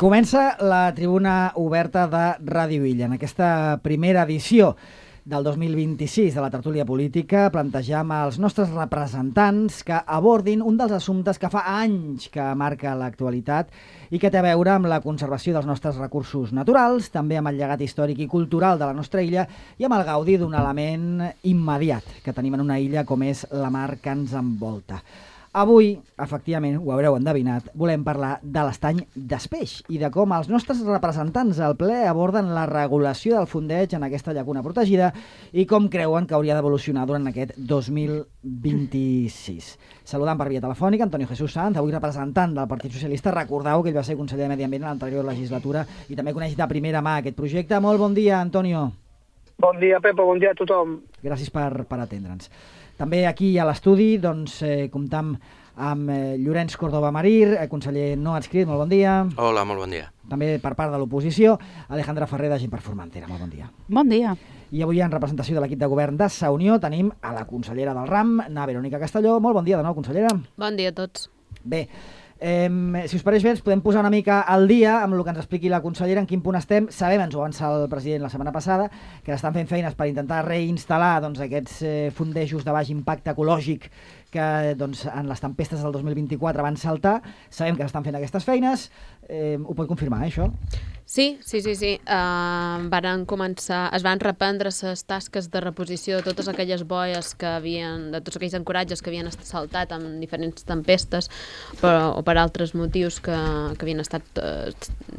Comença la tribuna oberta de Ràdio Illa. En aquesta primera edició del 2026 de la tertúlia política plantejam als nostres representants que abordin un dels assumptes que fa anys que marca l'actualitat i que té a veure amb la conservació dels nostres recursos naturals, també amb el llegat històric i cultural de la nostra illa i amb el gaudi d'un element immediat que tenim en una illa com és la mar que ens envolta. Avui, efectivament, ho haureu endevinat, volem parlar de l'estany d'Espeix i de com els nostres representants al ple aborden la regulació del fondeig en aquesta llacuna protegida i com creuen que hauria d'evolucionar durant aquest 2026. Saludant per via telefònica Antonio Jesús Sanz, avui representant del Partit Socialista. Recordeu que ell va ser conseller de Medi Ambient en l'anterior legislatura i també coneix de primera mà aquest projecte. Molt bon dia, Antonio. Bon dia, Pepa, bon dia a tothom. Gràcies per atendre'ns. També aquí a l'estudi comptam amb Llorenç Córdoba Marir, conseller no adscrit, molt bon dia. Hola, molt bon dia. També per part de l'oposició, Alejandra Ferrer de Gent per Formentera, molt bon dia. Bon dia. I avui en representació de l'equip de govern de Sa Unió tenim a la consellera del RAM, na Verònica Castelló. Molt bon dia de nou, consellera. Bon dia a tots. Bé, si us pareix bé, ens podem posar una mica al dia amb el que ens expliqui la consellera, en quin punt estem. Sabem, ens ho avança el president la setmana passada, que estan fent feines per intentar reinstal·lar aquests fondejos de baix impacte ecològic que en les tempestes del 2024 van saltar. Sabem que s'estan fent aquestes feines. Ho pot confirmar, això? Sí. Varen començar, es van reprendre les tasques de reposició de totes aquelles boies de tots aquells ancoratges que havien estat saltat amb diferents tempestes o per altres motius que havien estat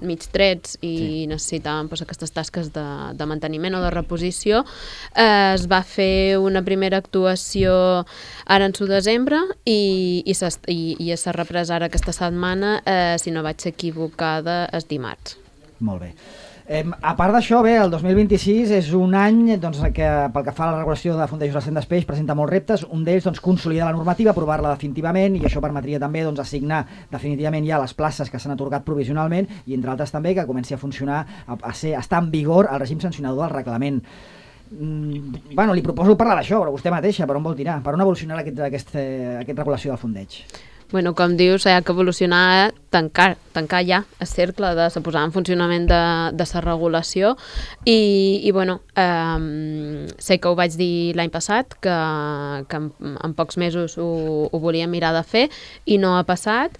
mig trets i necessitaven aquestes tasques de manteniment o de reposició. Es va fer una primera actuació ara en desembre i s'ha reprès ara aquesta setmana, si no vaig equivocada, és dimarts. Molt bé. A part d'això, bé, el 2026 és un any que pel que fa a la regulació de fondejos al Cent d'Espeix presenta molts reptes, un d'ells consolidar la normativa, aprovar-la definitivament, i això permetria també assignar definitivament ja les places que s'han atorgat provisionalment i entre altres també que comenci a funcionar, estar en vigor el règim sancionador del reglament. Li proposo parlar d'això, però vostè mateixa, per on vol tirar? Per on evolucionarà aquesta regulació del fondeig? Com dius, hi ha que evolucionar, tancar ja el cercle de posar en funcionament de la regulació i sé que ho vaig dir l'any passat, que en pocs mesos ho volíem mirar de fer i no ha passat.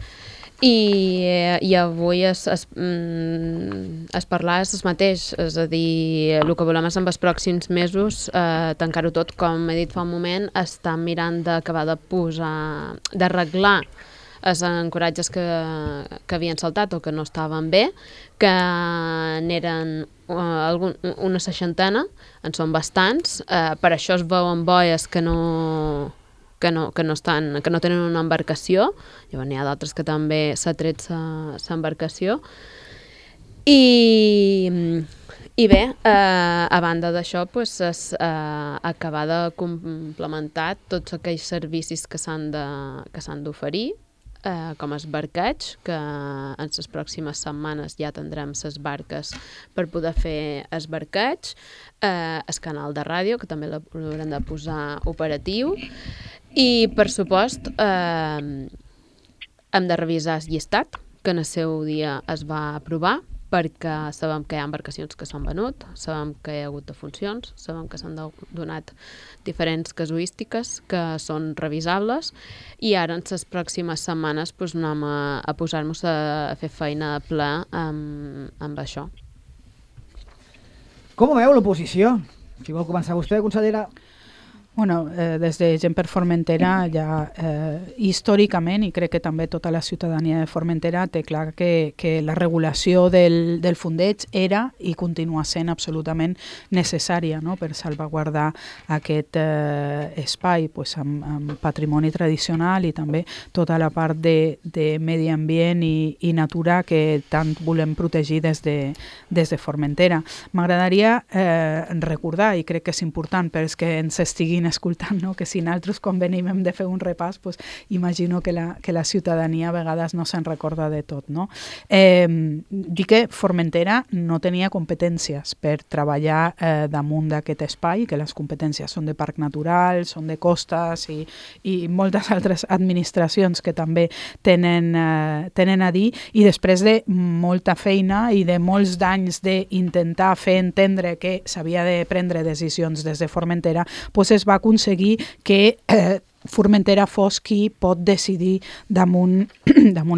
I avui es parlar és el mateix, és a dir, el que volem és en els pròxims mesos tancar-ho tot, com he dit fa un moment, estan mirant d'acabar d'arreglar els ancoratges que havien saltat o que no estaven bé, que n'eren una 60, en són bastants, per això es veuen boies que no tenen una embarcació. Llavors n'hi ha d'altres que també s'ha tret l'embarcació. I bé, a banda d'això, acabar de complementar tots aquells servicis que s'han d'oferir, com el barqueig, que en les pròximes setmanes ja tindrem les barques per poder fer el barqueig, el canal de ràdio, que també l'haurem de posar operatiu, i, per supost, hem de revisar el llistat, que en el seu dia es va aprovar, perquè sabem que hi ha embarcacions que s'han venut, sabem que hi ha hagut defuncions, sabem que s'han donat diferents casuístiques que són revisables i ara en les pròximes setmanes anem a posar-nos a fer feina de ple amb això. Com ho veu l'oposició? Si vol començar vostè, consellera. Des de Gent per Formentera ja històricament, i crec que també tota la ciutadania de Formentera té clar que la regulació del fondeig era i continua sent absolutament necessària, no?, per salvaguardar aquest espai amb patrimoni tradicional i també tota la part de medi ambient i natura que tant volem protegir des de Formentera. M'agradaria recordar, i crec que és important perquè ens estiguin estiguin escoltant, no? Que si nosaltres quan venim hem de fer un repàs, pues, imagino que la ciutadania a vegades no se'n recorda de tot, no? Dic que Formentera no tenia competències per treballar damunt d'aquest espai, que les competències són de parc natural, són de costes i moltes altres administracions que també tenen a dir, i després de molta feina i de molts d'anys d'intentar fer entendre que s'havia de prendre decisions des de Formentera, doncs es va aconseguir que Formentera fos qui pot decidir damunt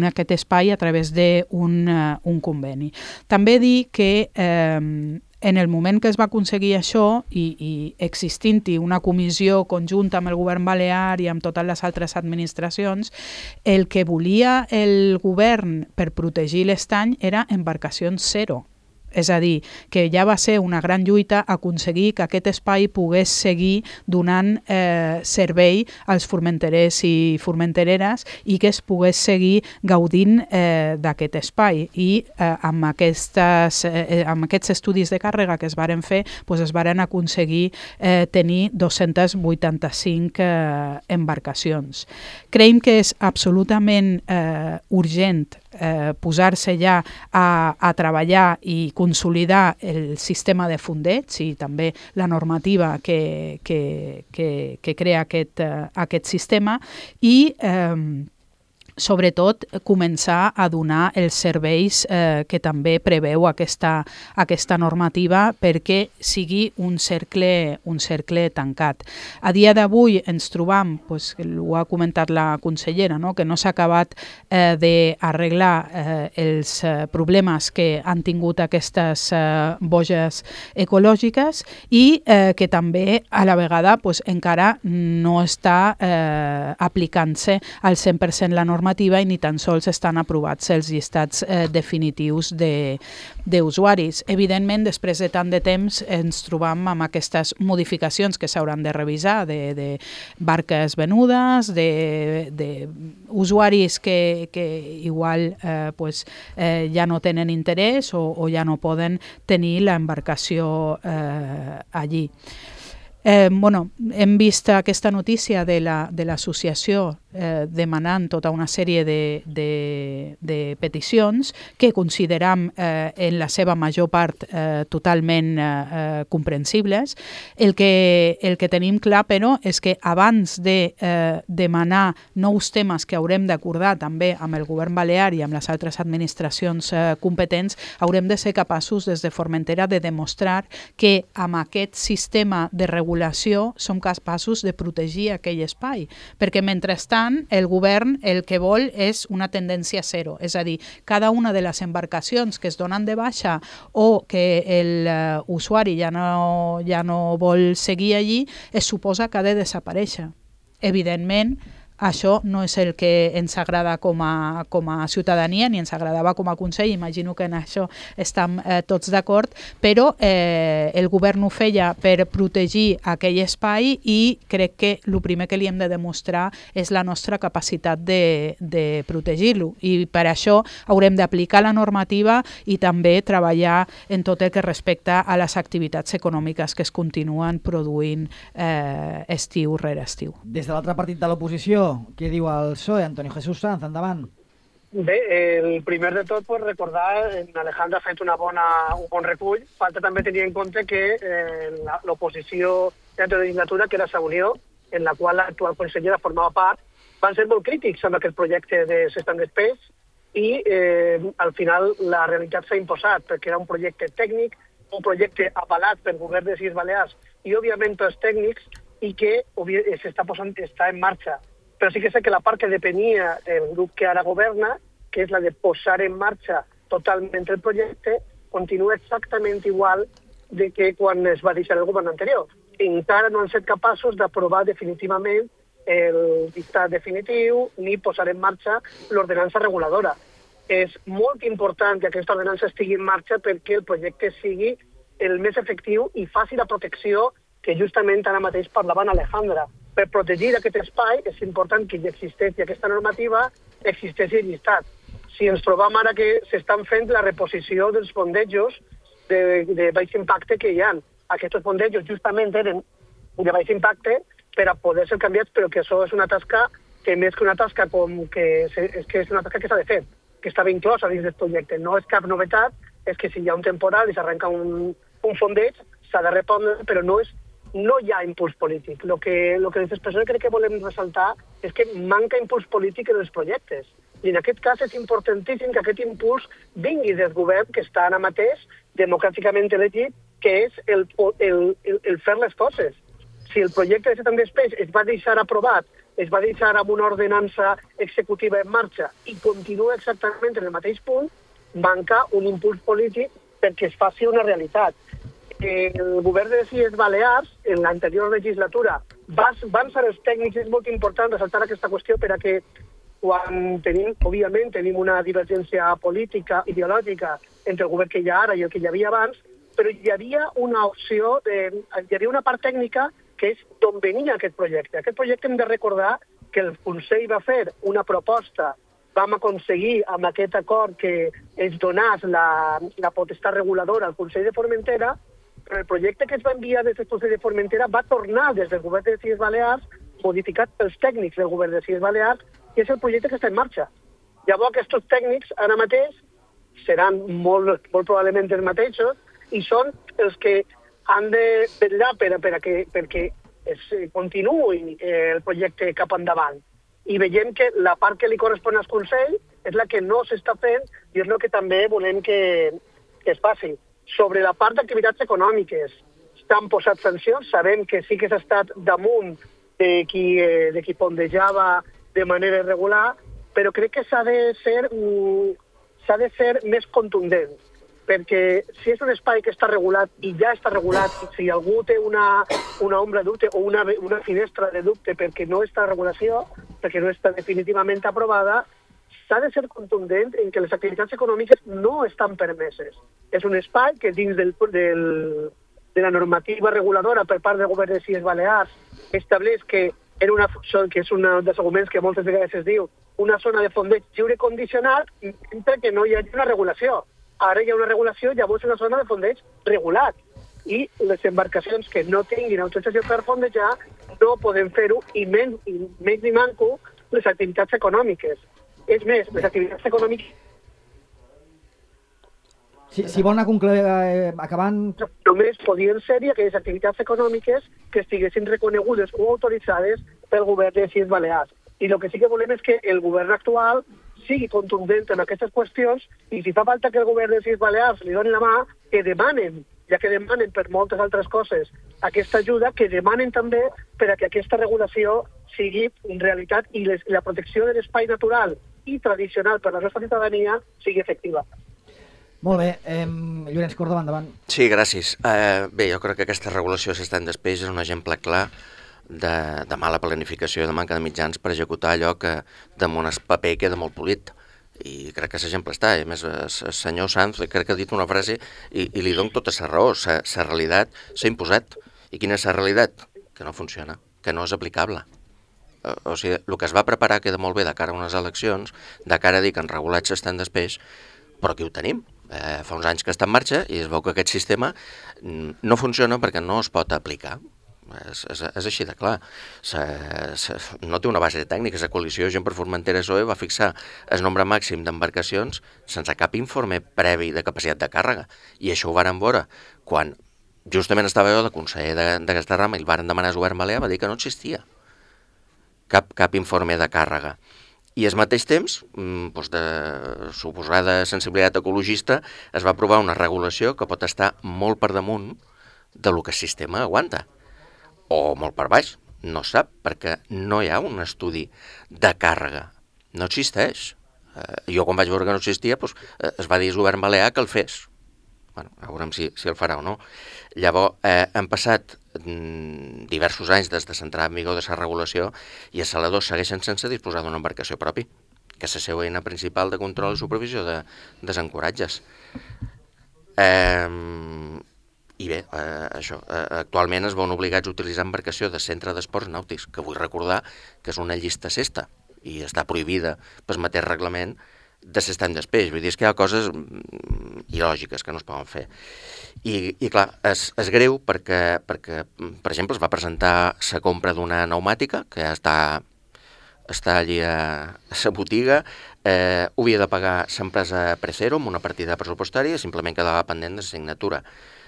aquest espai a través d'un conveni. També dir que en el moment que es va aconseguir això i existint-hi una comissió conjunta amb el govern balear i amb totes les altres administracions, el que volia el govern per protegir l'estany era embarcacions zero. És a dir, que ja va ser una gran lluita aconseguir que aquest espai pogués seguir donant servei als formenterers i formentereres i que es pogués seguir gaudint d'aquest espai. I amb aquests estudis de càrrega que es varen fer, doncs es varen aconseguir tenir 285 embarcacions. Creiem que és absolutament urgent posar-se ja a treballar i consolidar el sistema de fondeig i també la normativa que crea aquest sistema i sobretot començar a donar els serveis que també preveu aquesta normativa perquè sigui un cercle tancat. A dia d'avui ens trobam, ho ha comentat la consellera, que no s'ha acabat d'arreglar els problemes que han tingut aquestes boges ecològiques i que també a la vegada encara no està aplicant-se al 100% la normativa i ni tan sols estan aprovats els llistats definitius d'usuaris. Evidentment, després de tant de temps ens trobam amb aquestes modificacions que s'hauran de revisar de barques venudes, d'usuaris que igual ja no tenen interès o ja no poden tenir l'embarcació allí. Hem vist aquesta notícia de l'associació demanant tota una sèrie de peticions que consideram en la seva major part totalment comprensibles. El que tenim clar, però, és que abans de demanar nous temes que haurem d'acordar també amb el govern balear i amb les altres administracions competents, haurem de ser capaços des de Formentera de demostrar que amb aquest sistema de regulació som capaços de protegir aquell espai, perquè mentrestant el govern el que vol és una tendència zero, és a dir, cada una de les embarcacions que es donen de baixa o que l'usuari ja no vol seguir allí, es suposa que ha de desaparèixer. Evidentment, això no és el que ens agrada com a ciutadania ni ens agradava com a Consell, imagino que en això estem tots d'acord, però el govern ho feia per protegir aquell espai i crec que el primer que li hem de demostrar és la nostra capacitat de protegir-lo i per això haurem d'aplicar la normativa i també treballar en tot el que respecta a les activitats econòmiques que es continuen produint estiu rere estiu. Des de l'altre partit de l'oposició, què diu el PSOE? Antonio Jesús Sanz, endavant. Bé, el primer de tot, recordar que Alejandra ha fet un bon recull. Falta també tenir en compte que l'oposició de la legislatura, que era la Unió, en la qual l'actual consellera formava part, van ser molt crítics amb aquest projecte de Stand Space i al final la realitat s'ha imposat perquè era un projecte tècnic, un projecte avalat pel govern de les Illes Balears i, òbviament, pels tècnics i que està en marxa. Però sí que sé que la part que depenia del grup que ara governa, que és la de posar en marxa totalment el projecte, continua exactament igual de que quan es va deixar el govern anterior. Encara no han estat capaços d'aprovar definitivament el dictat definitiu ni posar en marxa l'ordenança reguladora. És molt important que aquesta ordenança estigui en marxa perquè el projecte sigui el més efectiu i faci la protecció que justament ara mateix parlava Alejandra. Per protegir aquest espai és important que hi existeixi aquesta normativa, existeixi el llistat. Si ens trobam ara que s'estan fent la reposició dels fondejos de baix impacte que hi ha. Aquests fondejos justament eren de baix impacte per a poder ser canviats, però que això és una tasca que més que una tasca és una tasca que s'ha de fer, que estava inclosa dins del projecte. No és cap novetat, és que si hi ha un temporal i s'arrenca un fondeig, s'ha de respondre, però no hi ha impuls polític. El que des d'Expressora crec que volem ressaltar és que manca impuls polític en els projectes. I en aquest cas és importantíssim que aquest impuls vingui del govern que està ara mateix democràticament elegit, que és el fer les coses. Si el projecte de Setanta Espais es va deixar aprovat, es va deixar amb una ordenança executiva en marxa i continua exactament en el mateix punt, manca un impuls polític perquè es faci una realitat. El govern de les Illes Balears, en l'anterior legislatura, van ser els tècnics, és molt important ressaltar aquesta qüestió per a que quan òbviament, tenim una divergència política, ideològica, entre el govern que hi ha ara i el que hi havia abans, però hi havia una opció, hi havia una part tècnica que és d'on venia aquest projecte. Aquest projecte hem de recordar que el Consell va fer una proposta, vam aconseguir amb aquest acord que es donés la potestat reguladora al Consell de Formentera, però el projecte que es va enviar des del Consell de Formentera va tornar des del govern de les Illes Balears, modificat pels tècnics del govern de les Illes Balears, i és el projecte que està en marxa. Llavors, aquests tècnics ara mateix seran molt probablement els mateixos i són els que han de vetllar perquè es continuï el projecte cap endavant. I veiem que la part que li correspon al Consell és la que no s'està fent i és el que també volem que es faci. Sobre la part d'activitats econòmiques, s'han posat sancions, sabem que sí que s'ha estat damunt de qui pondejava de manera irregular, però crec que s'ha de ser més contundent, perquè si és un espai que està regulat i ja està regulat, i si algú té una ombra de dubte o una finestra de dubte perquè no està regulació, perquè no està definitivament aprovada, s'ha de ser contundent en que les activitats econòmiques no estan permeses. És un espai que dins de la normativa reguladora per part del govern de les Illes Balears estableix que és un dels arguments que moltes vegades es diu una zona de fondeig lliure condicional mentre que no hi hagi una regulació. Ara hi ha una regulació, llavors una zona de fondeig regulat. I les embarcacions que no tinguin autorització per fondejar no poden fer-ho i menys ni manco les activitats econòmiques. És més, les activitats econòmiques... Si vol anar acabant... Només podien ser-hi aquelles activitats econòmiques que estiguessin reconegudes o autoritzades pel govern de les Illes Balears. I el que sí que volem és que el govern actual sigui contundent en aquestes qüestions i si fa falta que el govern de les Illes Balears li doni la mà, que demanen, ja que demanen per moltes altres coses aquesta ajuda, que demanen també per a que aquesta regulació sigui en realitat i la protecció de l'espai natural i tradicional per a la nostra ciutadania sigui efectiva. Molt bé. Llorenç Córdoba, endavant. Sí, gràcies. Bé, jo crec que aquesta regulació Setanta Espais és un exemple clar de mala planificació i de manca de mitjans per executar allò que damunt el paper queda molt polit. I crec que l'exemple està. A més, el senyor Sanz crec que ha dit una frase i li dono tota la raó. La realitat s'ha imposat. I quina és la realitat? Que no funciona, que no és aplicable. O sigui, el que es va preparar queda molt bé de cara a unes eleccions, de cara a dir que en regulats s'estan després, però aquí ho tenim. Fa uns anys que està en marxa i es veu que aquest sistema no funciona perquè no es pot aplicar. És així de clar. No té una base tècnica. La coalició Gent per Formentera PSOE va fixar el nombre màxim d'embarcacions sense cap informe previ de capacitat de càrrega. I això ho varen veure quan justament estava jo de conseller d'aquesta rama i el varen demanar al govern balear, va dir que no existia cap informe de càrrega. I al mateix temps, de suposada sensibilitat ecologista, es va aprovar una regulació que pot estar molt per damunt del que el sistema aguanta. O molt per baix, no sap, perquè no hi ha un estudi de càrrega. No existeix. Jo quan vaig veure que no existia, es va dir al govern balear que el fes. Bueno, a veurem si el farà o no. Llavors, han passat diversos anys des de l'entrada en vigor de la regulació i els saladors segueixen sense disposar d'una embarcació propi, que és la seva eina principal de control i supervisió de desencoratges. I bé, això, actualment es veuen obligats a utilitzar embarcació de centre d'esports nàutics, que vull recordar que és una llista cesta i està prohibida pel mateix reglament de l'estany d'espeix. Vull dir, és que hi ha coses il·lògiques que no es poden fer. I clar, és greu perquè, per exemple, es va presentar la compra d'una pneumàtica que ja està allí a la botiga, ho havia de pagar l'empresa Precero amb una partida pressupostària, simplement quedava pendent de signatura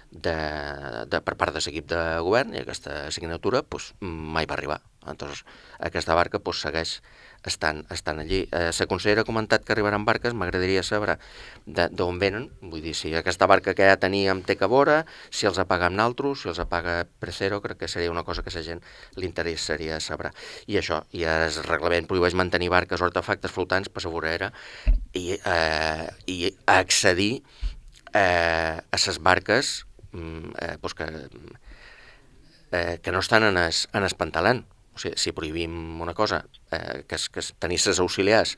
per part de l'equip de govern, i aquesta signatura mai va arribar. Llavors, aquesta barca segueix estan allí. La consellera ha comentat que arribaran barques, m'agradaria saber d'on venen, vull dir, si aquesta barca que ja teníem té que veure, si els apaga amb naltros, si els apaga Precero, crec que seria una cosa que a la gent li interessaria saber. I això, i el reglament prohibeix mantenir barques o artefactes flotants per la vorera i accedir a les barques que no estan en el pantalant. O sigui, si prohibim una cosa, que és tenir les auxiliars,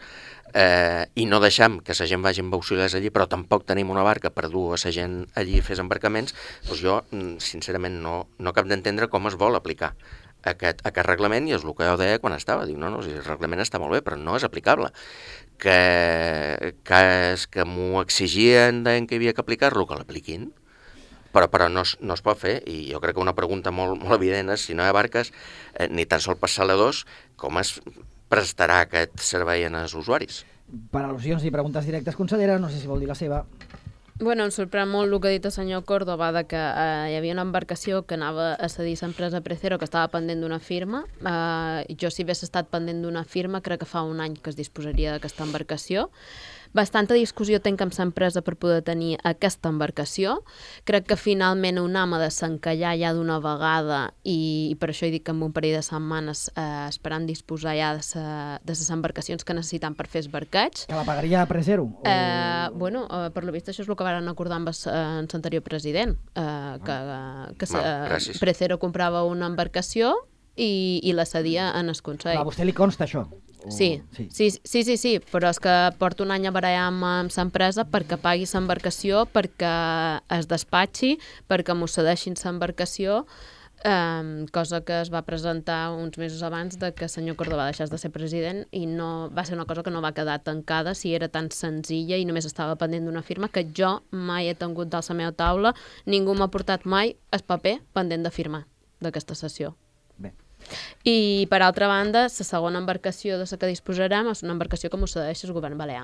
i no deixem que la gent vagi amb auxiliars allí, però tampoc tenim una barca per dur a la gent allí a fer embarcaments, doncs jo, sincerament, no cap d'entendre com es vol aplicar aquest reglament, i és el que jo deia quan estava. Dic, no, el reglament està molt bé, però no és aplicable. Que m'ho exigien, deien que havia que aplicar-lo, que l'apliquin, però no es pot fer, i jo crec que una pregunta molt evident és, si no hi ha barques, ni tan sols per saladors, com es prestarà aquest servei als usuaris? Per al·lusions i preguntes directes, consellera, no sé si vol dir la seva. Bueno, em sorprèn molt el que ha dit el senyor Córdoba, de que hi havia una embarcació que anava a cedir a l'empresa Precero, que estava pendent d'una firma. Jo, si hagués estat pendent d'una firma, crec que fa un any que es disposaria d'aquesta embarcació. Bastanta discussió tenc amb l'empresa per poder tenir aquesta embarcació. Crec que finalment UNAM ha de s'encallar ja d'una vegada, i per això he dit que en un parell de setmanes esperant disposar ja de les embarcacions que necessitan per fer esbarcats. Que la pagaria a Precero? Bueno, per lo vist això és el que van acordar amb l'anterior president, que Precero comprava una embarcació i la cedia en el Consell. A vostè li consta això? Sí, però és que porto un any a barallar amb l'empresa perquè pagui l'embarcació, perquè es despatxi, perquè m'ho cedeixin l'embarcació, cosa que es va presentar uns mesos abans de que el senyor Córdoba deixés de ser president, i no va ser una cosa que no va quedar tancada, si era tan senzilla i només estava pendent d'una firma, que jo mai he tingut dalt la meva taula, ningú m'ha portat mai el paper pendent de firmar d'aquesta sessió. Bé. I, per altra banda, la segona embarcació de la que disposarem és una embarcació que m'ho cedeix el govern balear.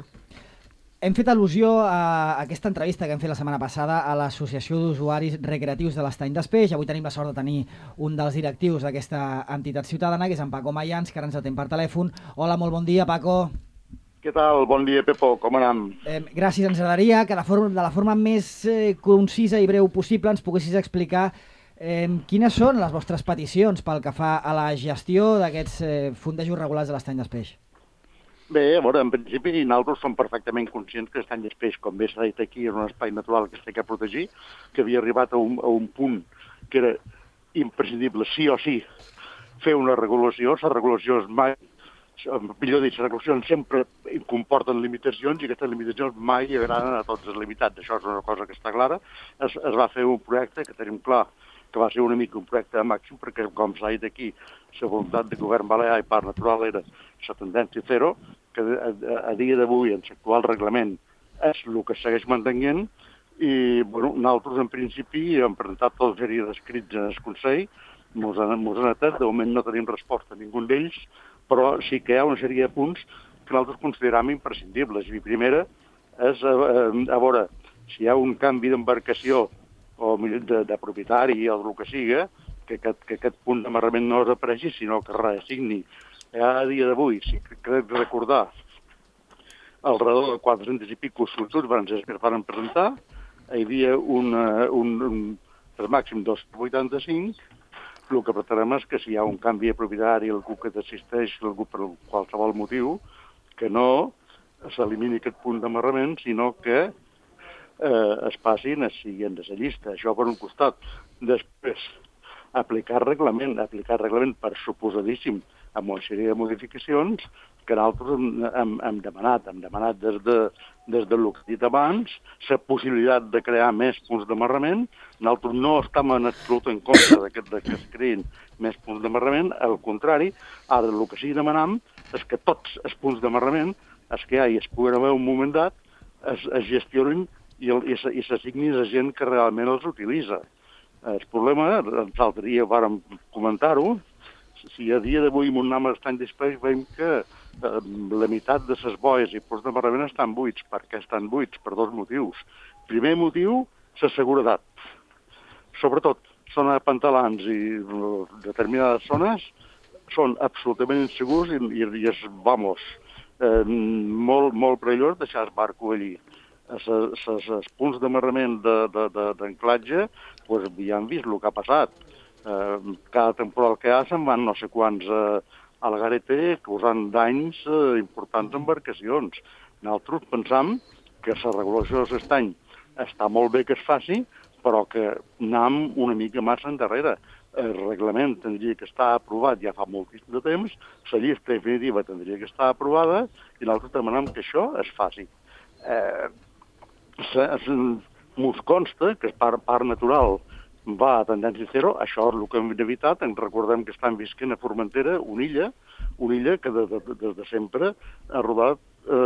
Hem fet al·lusió a aquesta entrevista que hem fet la setmana passada a l'Associació d'Usuaris Recreatius de l'Estany d'Espeix. Avui tenim la sort de tenir un dels directius d'aquesta entitat ciutadana, que és en Paco Mayans, que ara ens atén per telèfon. Hola, molt bon dia, Paco. Què tal? Bon dia, Pepo. Com anem? Gràcies. Ens agradaria que de la forma més concisa i breu possible ens poguessis explicar quines són les vostres peticions pel que fa a la gestió d'aquests fondejos regulars de l'Estany d'Espeix? Bé, a veure, en principi nosaltres som perfectament conscients que l'Estany d'Espeix, com bé s'ha dit aquí, és un espai natural que s'ha de protegir, que havia arribat a un punt que era imprescindible, sí o sí, fer una regulació. La regulació és mai, millor dit, les regulacions sempre comporten limitacions, i aquestes limitacions mai agraden a tots els limitats. Això és una cosa que està clara. Es va fer un projecte que tenim clar que va ser una mica un projecte màxim, perquè, com s'ha dit aquí, la voluntat del govern balear i Parc Natural era la tendència zero, que a dia d'avui, en l'actual reglament, és el que segueix mantenint, i nosaltres, en principi, hem presentat tota sèrie d'escrits en el Consell, mos han atat, de moment no tenim resposta a ningú d'ells, però sí que hi ha una sèrie de punts que nosaltres considerem imprescindibles. I primera és a veure si hi ha un canvi d'embarcació o de propietari o del que siga, que aquest punt d'amarrament no desapareixi, sinó que reassigni. A dia d'avui, si crec recordar, al redor de 400 i pico sol·licituds que es van presentar, hi havia per màxim 285. El que pretenem és que si hi ha un canvi de propietari, algú que desisteix, algú per qualsevol motiu, que no s'elimini aquest punt d'amarrament, sinó que es passin, es siguin de la llista. Això per un costat. Després, aplicar reglament per suposadíssim amb una sèrie de modificacions que nosaltres hem demanat. Hem demanat des del que he dit abans, la possibilitat de crear més punts d'amarrament. Nosaltres no estem en absolut en contra que es creïn més punts d'amarrament. Al contrari, ara el que sí que demanem és que tots els punts d'amarrament és que hi es puguen haver un moment dat, es gestionin i s'assignin a gent que realment els utilitza. El problema, l'altre dia vàrem comentar-ho, si a dia d'avui en un nom estany d'espais veiem que la meitat de les boies i punts d'amarrament estan buits. Per què estan buits? Per dos motius. Primer motiu, la seguretat. Sobretot, zona de pantalans i determinades zones són absolutament insegurs i és, molt perillós deixar el barco allí. Els punts d'amarrament d'anclatge, ja han vist el que ha passat. Cada temporal que hi ha se'n van no sé quants a la gareta causant danys importants a embarcacions. Nosaltres pensam que la regulació de l'estany està molt bé que es faci, però que anem una mica massa endarrere. El reglament tindria que estar aprovat ja fa moltíssim de temps, la llista definitiva tindria que estar aprovada i nosaltres demanem que això es faci. Ens consta que part natural va a tendència zero, això és el que hem evitat. Ens recordem que estan visquent a Formentera, una illa que des de sempre ha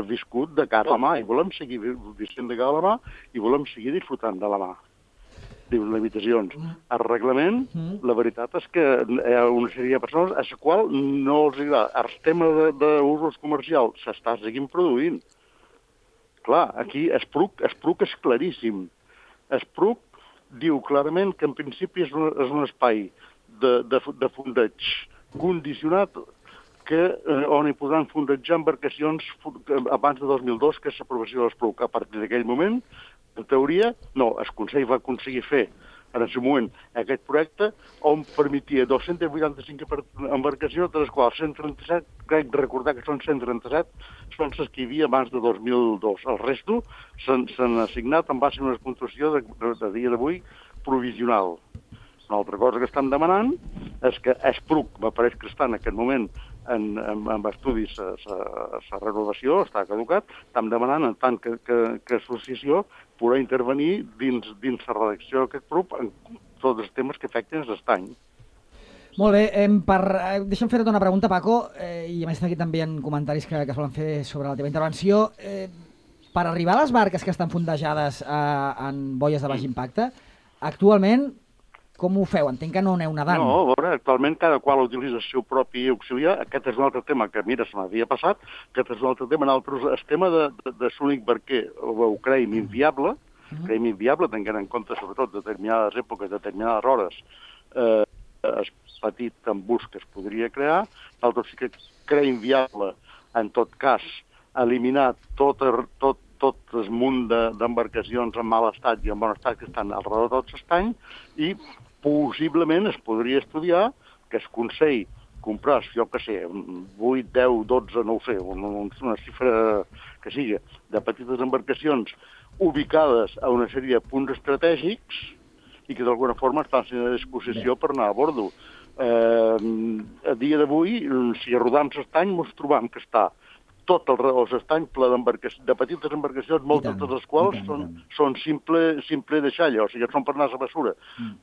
viscut de cara a la mà i volem seguir visquent de cara a la mà i volem seguir disfrutant de la mà. Les limitacions. El reglament, la veritat és que hi ha una sèrie de persones a la qual no els agrada. El tema d'usos comercials s'està seguint produint. Clar, aquí Espruc és claríssim. Espruc diu clarament que en principi és un espai de fondeig condicionat on hi podran fondejar embarcacions abans de 2002, que és l'aprovació de l'Espruc. A partir d'aquell moment, en teoria, no, el Consell va aconseguir fer en el seu moment aquest projecte on permetia 285 embarcacions, de les quals 137, crec recordar que són 137, són les que hi havia abans de 2002. El resto s'han assignat en base a una puntuació de dia d'avui provisional. Una altra cosa que estan demanant és que Espruc, m'apareix que està en aquest moment en estudis la renovació, està caducat, estan demanant en tant que associació poder intervenir dins la redacció d'aquest grup en tots els temes que afecten l'estany. Molt bé, deixa'm fer-te una pregunta, Paco, i a més aquí també hi ha comentaris que es volen fer sobre la teva intervenció. Per arribar a les barques que estan fondejades en boies de baix impacte, actualment com ho feu? Entenc que no aneu nedant. No, a veure, actualment cada qual utilitza el seu propi auxiliar. Aquest és un altre tema que, mira, se m'havia passat. Aquest és un altre tema. El tema de l'únic barquer ho creiem inviable, tenint en compte sobretot determinades èpoques, determinades hores, el petit embús que es podria crear. Nosaltres sí que creiem viable, en tot cas, eliminar tot el munt d'embarcacions en mal estat i en bon estat que estan al redor de tot l'estany i possiblement es podria estudiar que el Consell compràs, jo què sé, 8, 10, 12, no ho sé, una xifra que sigui, de petites embarcacions ubicades a una sèrie de punts estratègics i que d'alguna forma estan sent a disposició per anar a bordo. A dia d'avui, si rodam l'estany, ens trobam que està tot el redor de l'estany ple de petites embarcacions, moltes de les quals són simple deixalla, o sigui, són per anar a la bessura.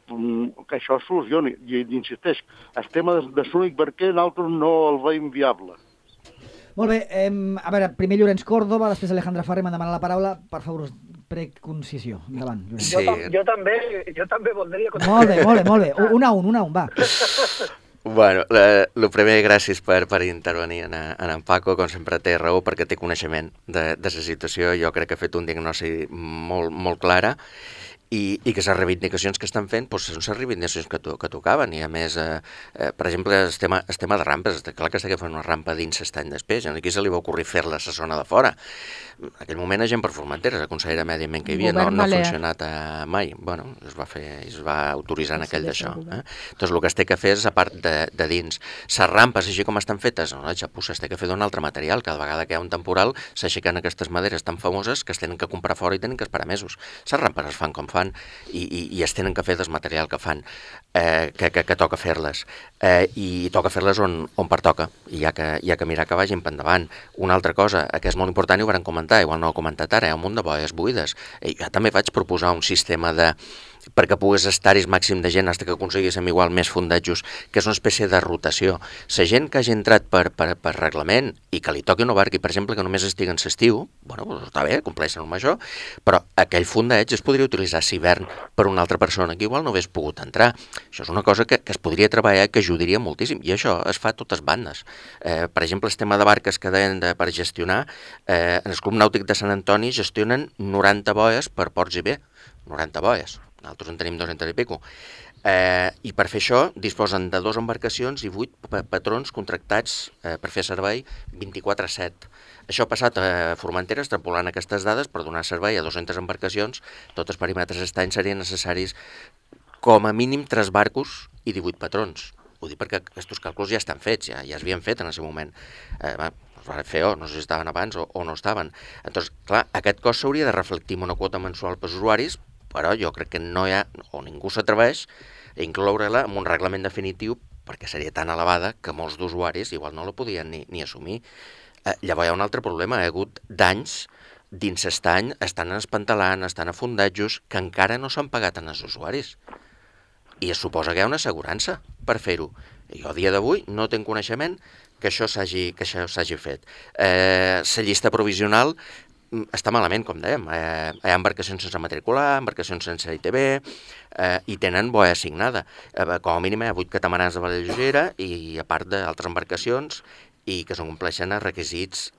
Que això es solucioni. I insisteix, el tema de l'únic barquer nosaltres no el veiem viable. Molt bé, a veure, primer Llorenç Córdoba, després Alejandra Farré m'ha demanat la paraula. Per favor, preconcisió. Endavant, Llorenç. Sí. Jo també voldria... Molt bé. Un a un, va. Bueno, el primer, gràcies per intervenir en Paco, com sempre té raó perquè té coneixement de la situació. Jo crec que ha fet un diagnòstic molt clara i que les reivindicacions que estan fent són les reivindicacions que tocaven i a més, per exemple, el tema de rampes, clar que està fent una rampa dins l'estany d'espès, aquí se li va ocorrir fer-la a la zona de fora. En aquell moment a gent per Formentera, la consellera de Medi Ambient que hi havia, no ha funcionat mai. Bueno, es va autoritzar en aquell d'això. Doncs el que es té que fer és, a part de dins, les rampes, així com estan fetes, es té que fer d'un altre material. Cada vegada que hi ha un temporal s'aixequen aquestes maderes tan famoses que es tenen que comprar fora i tenen que esperar mesos. Les rampes es fan com fan i es tenen que fer del material que fan, que toca fer-les. I toca fer-les on pertoca. I hi ha que mirar que vagin per endavant. Una altra cosa que és molt important, i ho vam comentar, igual no ho he comentat ara, hi ha un munt de boies buides. Jo també vaig proposar un sistema perquè pogués estar-hi el màxim de gent fins que aconseguíssim igual més fundejos, que és una espècie de rotació. La gent que hagi entrat per reglament i que li toqui una barca i, per exemple, que només estigui en l'estiu, bueno, doncs està bé, compleixen amb això, però aquell fundeig es podria utilitzar a hivern per una altra persona que igual no hagués pogut entrar. Això és una cosa que es podria treballar i que ajudaria moltíssim, i això es fa a totes bandes. Per exemple, el tema de barques que deien per gestionar, en el Club Nàutic de Sant Antoni gestionen 90 boies per Ports i Bé, 90 boies. Nosaltres en tenim 200 i pico. I per fer això disposen de 2 embarcacions i 8 patrons contractats per fer servei 24/7. Això ha passat a Formentera, extrapolant aquestes dades, per donar servei a 200 embarcacions, tots els perímetres estany serien necessaris com a mínim 3 barcos i 18 patrons. Ho dic perquè aquests càlculs ja estan fets, ja es havien fet en aquest moment. Es va fer, no sé si estaven abans o no estaven. Llavors, clar, aquest cost s'hauria de reflectir en una quota mensual pels usuaris, però jo crec que no hi ha, o ningú s'atreveix a incloure-la en un reglament definitiu perquè seria tan elevada que molts d'usuaris igual no la podien ni assumir. Llavors hi ha un altre problema, hi ha hagut danys dins l'estany, estan espantalant, estan a fundejos, que encara no s'han pagat en els usuaris. I es suposa que hi ha una assegurança per fer-ho. Jo a dia d'avui no tinc coneixement que això s'hagi fet. La llista provisional està malament, com dèiem. Hi ha embarcacions sense matricular, embarcacions sense ITB, i tenen boia assignada. Com a mínim hi ha 8 catamarans de vela lleugera i a part d'altres embarcacions i que són compleixen els requisits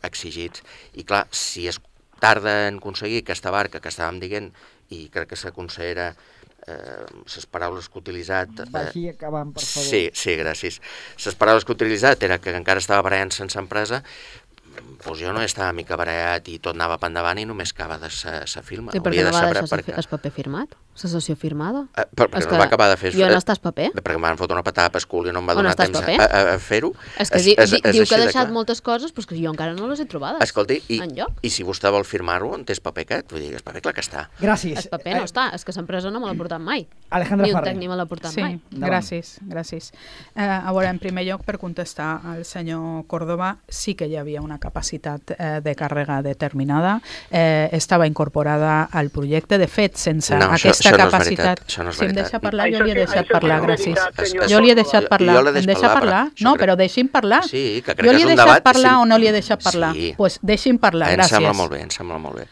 exigits. I clar, si es tarda en aconseguir aquesta barca que estàvem dient, i crec que la consellera, les paraules que ha utilitzat... Vagi acabant, per favor. Sí, gràcies. Les paraules que ha utilitzat era que encara estava barallant sense empresa, doncs jo no estava mica barallat i tot anava per endavant i només acaba de sa firma. I per què no va deixar el paper firmat? La sessió firmada? Perquè no va acabar de fer... Jo no estàs paper? Perquè em van fotre una patada per cul i no em va donar temps a fer-ho. És que diu que ha deixat moltes coses, però és que jo encara no les he trobades. Escolti, i si vostè vol firmar-ho, on té el paper aquest? Vull dir, el paper clar que està. Gràcies. El paper no està, és que l'empresa no me l'ha portat mai. Alejandra Ferrer. Ni un tècnic me l'ha portat mai. Gràcies. A veure, en primer lloc, per contestar al senyor Córdoba, sí que hi havia una capacitat de càrrega determinada, estava incorporada al projecte. De fet, sense aquesta capacitat... Això no és si em deixa parlar, jo li he deixat parlar, gràcies. Jo li he deixat parlar. Em deixa parlar? No, però deixi'm parlar. Sí, que crec jo que és un debat... Jo li he deixat parlar o no li he deixat parlar? Doncs deixi'm parlar, gràcies. Em sembla molt bé.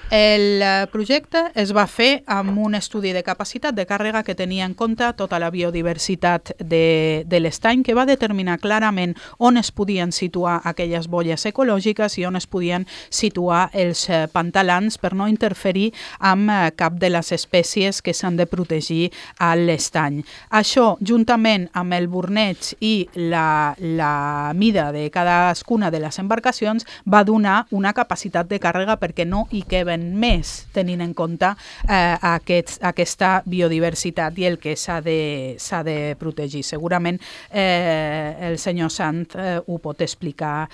El projecte es va fer amb un estudi de capacitat de càrrega que tenia en compte tota la biodiversitat de l'estany, que va determinar clarament on es podien situar aquelles bolles ecològiques i on es podien situar els pantalans per no interferir amb cap de les espècies que s'han de protegir a l'estany. Això, juntament amb el borneig i la mida de cadascuna de les embarcacions, va donar una capacitat de càrrega perquè no hi queben més, tenint en compte aquesta biodiversitat i el que s'ha de protegir. Segurament el senyor Sant ho pot explicar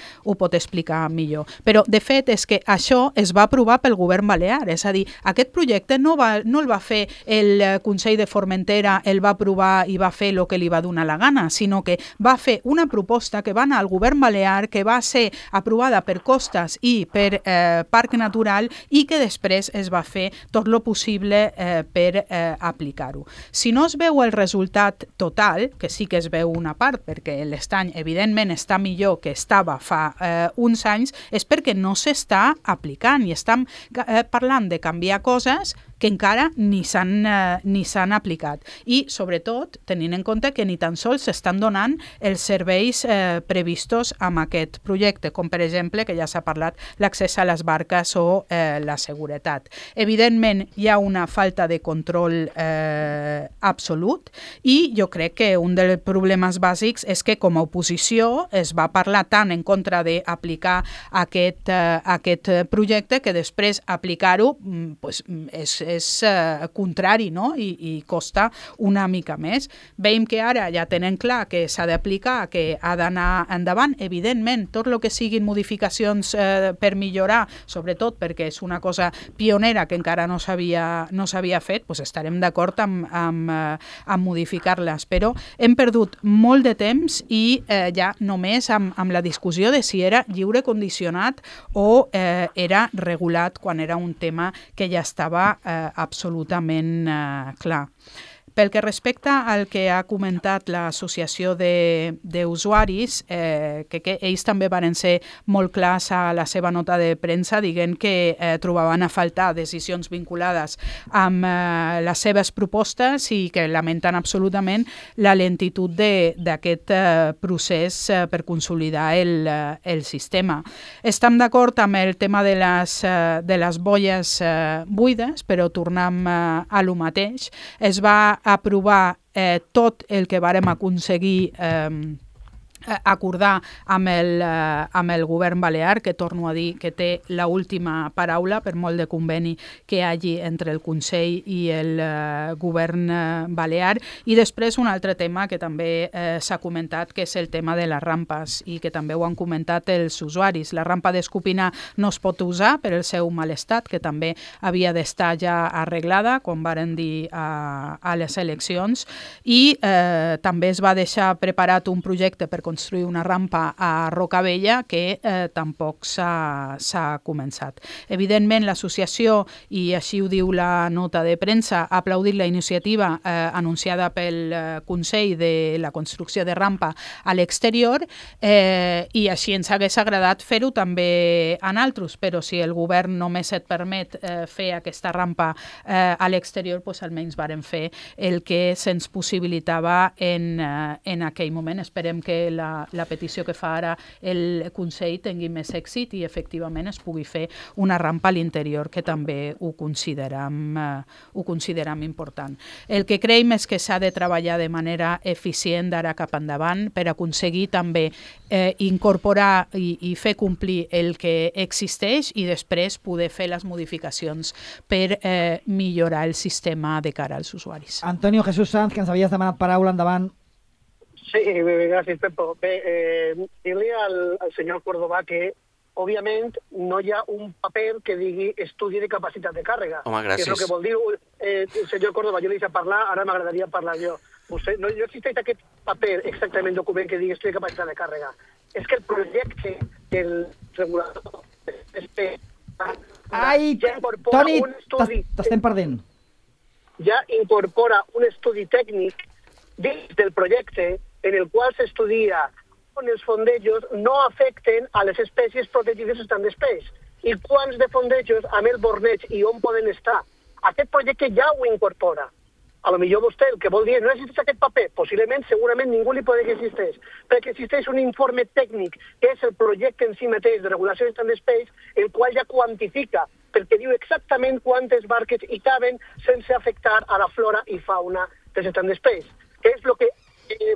millor. Però, de fet, és que això es va aprovar pel govern balear. És a dir, aquest projecte no el va fer el Consell de Formentera, el va aprovar i va fer el que li va donar la gana, sinó que va fer una proposta que va anar al govern balear, que va ser aprovada per Costas i per Parc Natural i que després es va fer tot el possible per aplicar-ho. Si no es veu el resultat total, que sí que es veu una part, perquè l'estany evidentment està millor que estava fa uns anys, és perquè no s'està aplicant i estem parlant de canviar coses que encara ni s'han aplicat. I, sobretot, tenint en compte que ni tan sols s'estan donant els serveis previstos amb aquest projecte, com per exemple, que ja s'ha parlat, l'accés a les barques o la seguretat. Evidentment, hi ha una falta de control absolut i jo crec que un dels problemes bàsics és que com a oposició es va parlar tant en contra d'aplicar aquest projecte que després aplicar-ho és contrari, no? I costa una mica més. Veiem que ara ja tenen clar que s'ha d'aplicar, que ha d'anar endavant. Evidentment, tot el que siguin modificacions per millorar, sobretot perquè és una cosa pionera que encara no s'havia fet, doncs estarem d'acord amb modificar-les. Però hem perdut molt de temps i ja només amb la discussió de si era lliure condicionat o era regulat quan era un tema que ja estava absolutament clar. Pel que respecta al que ha comentat l'associació d'usuaris, que ells també van ser molt clars a la seva nota de premsa, dient que trobaven a faltar decisions vinculades amb les seves propostes i que lamenten absolutament la lentitud d'aquest procés per consolidar el sistema. Estem d'acord amb el tema de les bolles buides, però tornem a lo mateix. Es va aprovar tot el que vàrem aconseguir acordar amb el govern balear, que torno a dir que té l'última paraula per molt de conveni que hi hagi entre el Consell i el govern balear. I després un altre tema que també s'ha comentat, que és el tema de les rampes i que també ho han comentat els usuaris. La rampa d'Escopina no es pot usar per el seu mal estat, que també havia d'estar ja arreglada quan varen dir a les eleccions, i també es va deixar preparat un projecte per construir una rampa a Rocavella que tampoc s'ha començat. Evidentment, l'associació, i així ho diu la nota de premsa, ha aplaudit la iniciativa anunciada pel Consell de la construcció de rampa a l'exterior i així ens hagués agradat fer-ho també en altres, però si el govern només et permet fer aquesta rampa a l'exterior, doncs almenys vàrem fer el que se'ns possibilitava en aquell moment. Esperem que la petició que fa ara el Consell tingui més èxit i efectivament es pugui fer una rampa a l'interior, que també ho considerem important. El que creiem és que s'ha de treballar de manera eficient d'ara cap endavant per aconseguir també incorporar i fer complir el que existeix i després poder fer les modificacions per millorar el sistema de cara als usuaris. Antonio Jesús Sanz, que ens havies demanat paraula, endavant. Sí, gràcies, Pepo. Bé, dir-li al senyor Córdoba que, òbviament, no hi ha un paper que digui estudi de capacitat de càrrega. Home, gràcies. Que és el que vol dir el senyor Córdoba. Jo li deixo parlar, ara m'agradaria parlar jo. No existeix aquest paper, exactament, document que digui estudi de capacitat de càrrega. És que el projecte del regulador Ai, Toni, t'estem perdent. Ja incorpora un estudi tècnic dins del projecte en el qual s'estudia on els fondejos no afecten a les espècies protegides estan d'espais i quants de fondejos amb el borneig i on poden estar. Aquest projecte ja ho incorpora. A lo millor vostè el que vol dir no existeix aquest paper, possiblement, segurament ningú li pot dir que existeix, perquè existeix un informe tècnic, que és el projecte en si mateix de regulació d'estat d'espais, el qual ja quantifica, perquè diu exactament quantes barques hi caben sense afectar a la flora i fauna dels estats d'espais, que és el que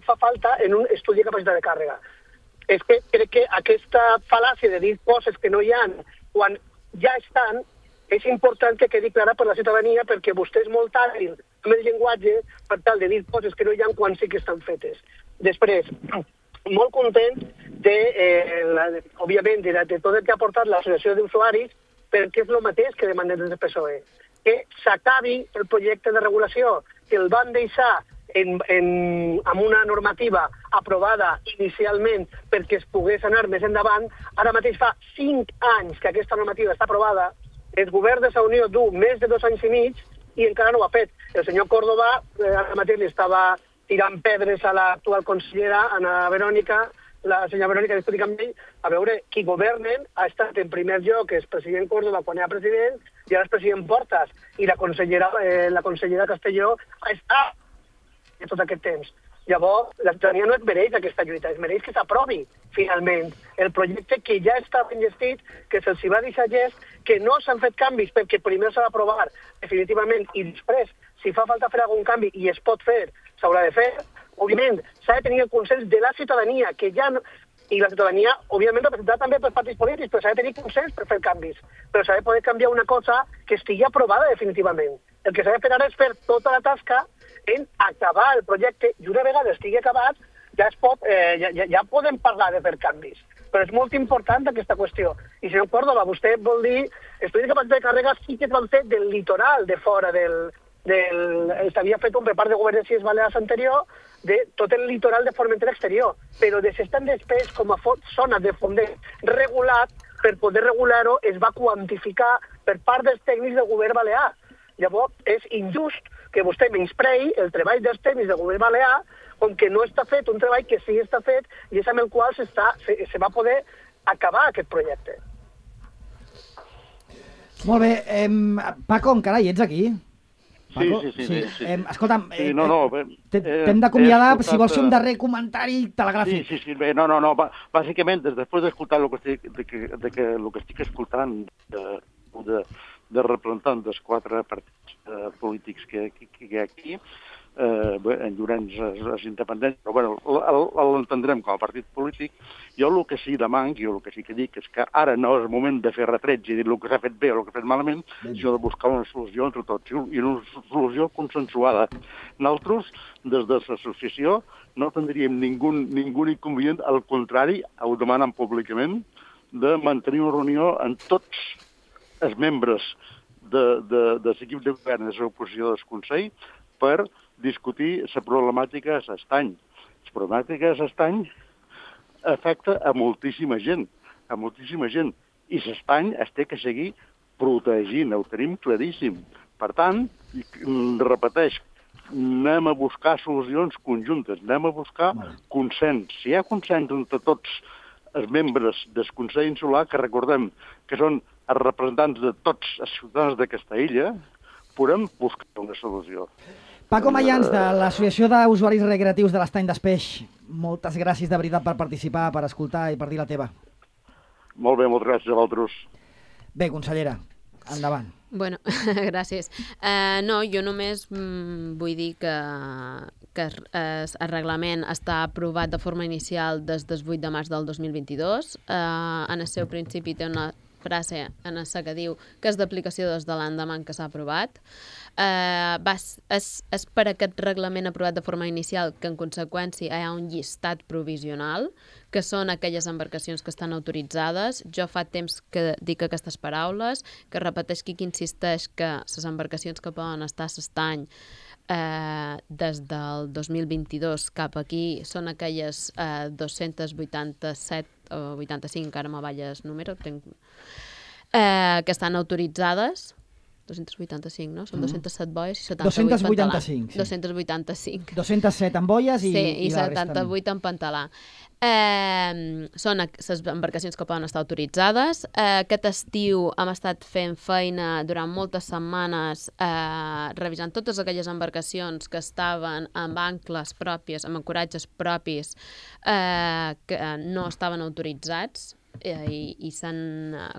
fa falta en un estudi de capacitat de càrrega. És que crec que aquesta fal·làcia de dir coses que no hi ha quan ja estan, és important que quedi clara per la ciutadania perquè vostè és molt hàbil amb el llenguatge per tal de dir coses que no hi ha quan sí que estan fetes. Després, molt content òbviament, de tot el que ha portat l'associació d'usuaris, perquè és el mateix que demanem des del PSOE. Que s'acabi el projecte de regulació, que el van deixar amb una normativa aprovada inicialment perquè es pogués anar més endavant. Ara mateix fa 5 anys que aquesta normativa està aprovada, el govern de la Unió du més de 2 anys i mig i encara no ho ha fet. El senyor Córdoba ara mateix li estava tirant pedres a l'actual consellera, Ana Verònica, la senyora Verònica, discutir amb ell, a veure, qui governen ha estat en primer lloc, és president Córdoba quan era president, i ara és president Portas, i la consellera Castelló ha estat tot aquest temps. Llavors, la ciutadania no es mereix aquesta lluita, es mereix que s'aprovi, finalment, el projecte que ja està enllestit, que se'ls va deixar gest, que no s'han fet canvis perquè primer s'ha d'aprovar definitivament i després, si fa falta fer algun canvi i es pot fer, s'haurà de fer. Òbviament, s'ha de tenir el consens de la ciutadania, que ja no... I la ciutadania, òbviament, representada també pels partits polítics, però s'ha de tenir consens per fer canvis. Però s'ha de poder canviar una cosa que estigui aprovada definitivament. El que s'ha de fer ara és fer tota la tasca en acabar el projecte i una vegada estigui acabat ja podem parlar de fer canvis. Però és molt important aquesta qüestió. I senyor Córdoba, vostè vol dir estudi de capacitat de càrrega sí que es van fer del litoral de fora s'havia fet un repart de govern de Illes Balears anterior de tot el litoral de Formentera exterior, però de s'estan d'espès com a zona de fondeig regulat, per poder regular-ho es va quantificar per part dels tècnics del govern balear. Llavors, és injust que vostè menysprei el treball dels tècnics del govern balear, com que no està fet un treball que sí està fet i és amb el qual se va poder acabar aquest projecte. Molt bé. Paco, encara hi ets aquí? Paco? Sí. Escolta'm, Sí, t'hem d'acomiadar, si vols fer un darrer comentari telegràfic. Sí, bé, no, bàsicament, després d'escoltar el que estic escoltant de representants dels 4 partits polítics que hi ha aquí, en Llorenç és independent, però bueno, l'entendrem com a partit polític. Jo el que sí demanc, el que sí que dic, és que ara no és el moment de fer retrets i dir el que s'ha fet bé o el que s'ha fet malament, sinó de buscar una solució entre tots, i una solució consensuada. Nosaltres, des de l'associació, no tindríem ningú inconvenient, al contrari, ho demanen públicament, de mantenir una reunió amb tots els membres de l'equip de govern i de l'oposició del Consell per discutir la problemàtica de l'estany. La problemàtica de l'estany afecta a moltíssima gent, i l'estany es té que seguir protegint, ho tenim claríssim. Per tant, repeteix, anem a buscar solucions conjuntes, anem a buscar consens. Si hi ha consens entre tots els membres del Consell Insular, que recordem que són els representants de tots els ciutadans d'aquesta illa, podem buscar una solució. Paco Mayans, de l'Associació d'Usuaris Recreatius de l'Estany d'Espeix, moltes gràcies de veritat per participar, per escoltar i per dir la teva. Molt bé, moltes gràcies a vosaltres. Bé, consellera, endavant. Bueno, gràcies. No, jo només vull dir que el reglament està aprovat de forma inicial des del 8 de març del 2022. En el seu principi té una frase en la que diu que és d'aplicació des de l'endemà que s'ha aprovat. És per aquest reglament aprovat de forma inicial que en conseqüència hi ha un llistat provisional, que són aquelles embarcacions que estan autoritzades. Jo fa temps que dic aquestes paraules, que repeteix que insisteix que les embarcacions que poden estar a l'estany des del 2022 cap aquí són aquelles 287 o 85, ara me balla el número, que estan autoritzades. 285, no? Són 207 boies i 78 en pantalà. 285, sí. 285. 207 en boies i la resta 78 en pantalà. Són les embarcacions que poden estar autoritzades. Aquest estiu hem estat fent feina durant moltes setmanes revisant totes aquelles embarcacions que estaven amb ancles pròpies, amb ancoratges propis, que no estaven autoritzats. I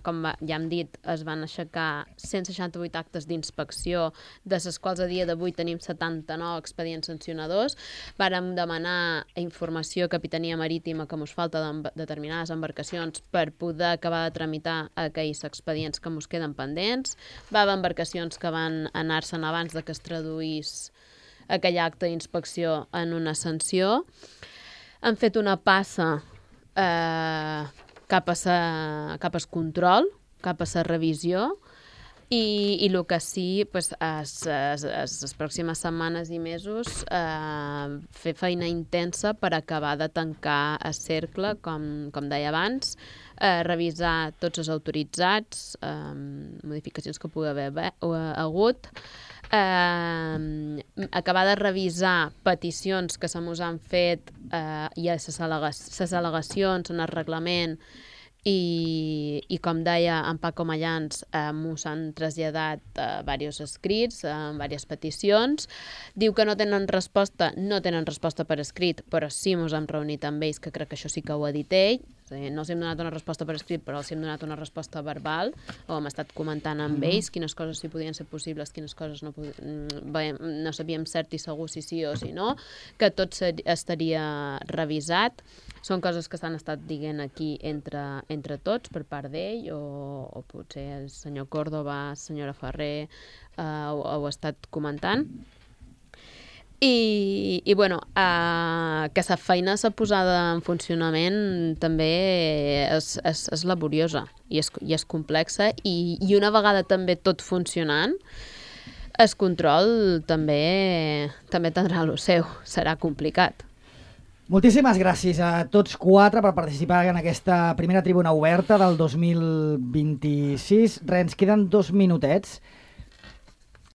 com ja hem dit, es van aixecar 168 actes d'inspecció, de les quals a dia d'avui tenim 79 expedients sancionadors. Vàrem demanar informació a Capitania Marítima que ens falta de determinades embarcacions per poder acabar de tramitar aquells expedients que ens queden pendents. Va haver embarcacions que van anar-se'n abans de que es traduís aquell acte d'inspecció en una sanció. Han fet una passa cap al control, cap a la revisió, i el que sí, les pròximes setmanes i mesos, fer feina intensa per acabar de tancar el cercle, com deia abans, revisar tots els autoritzats, modificacions que pugui haver hagut, acabar de revisar peticions que se mos han fet i les al·legacions en el reglament i com deia en Paco Mayans, mos han traslladat diversos escrits, diverses peticions. Diu que no tenen resposta per escrit, però sí mos hem reunit amb ells, que crec que això sí que ho ha dit ell. No els hem donat una resposta per escrit, però els hem donat una resposta verbal, o hem estat comentant amb ells quines coses sí podien ser possibles, quines coses no sabíem cert i segur si sí o si no, que tot estaria revisat. Són coses que s'han estat dient aquí entre tots, per part d'ell, o potser el senyor Córdoba, la senyora Ferrer, ho ha estat comentant. I bueno, que la feina s'ha posada en funcionament també és laboriosa i és complexa, i una vegada també tot funcionant, el control també tindrà el seu, serà complicat. Moltíssimes gràcies a tots 4 per participar en aquesta primera tribuna oberta del 2026. Ens queden 2 minutets.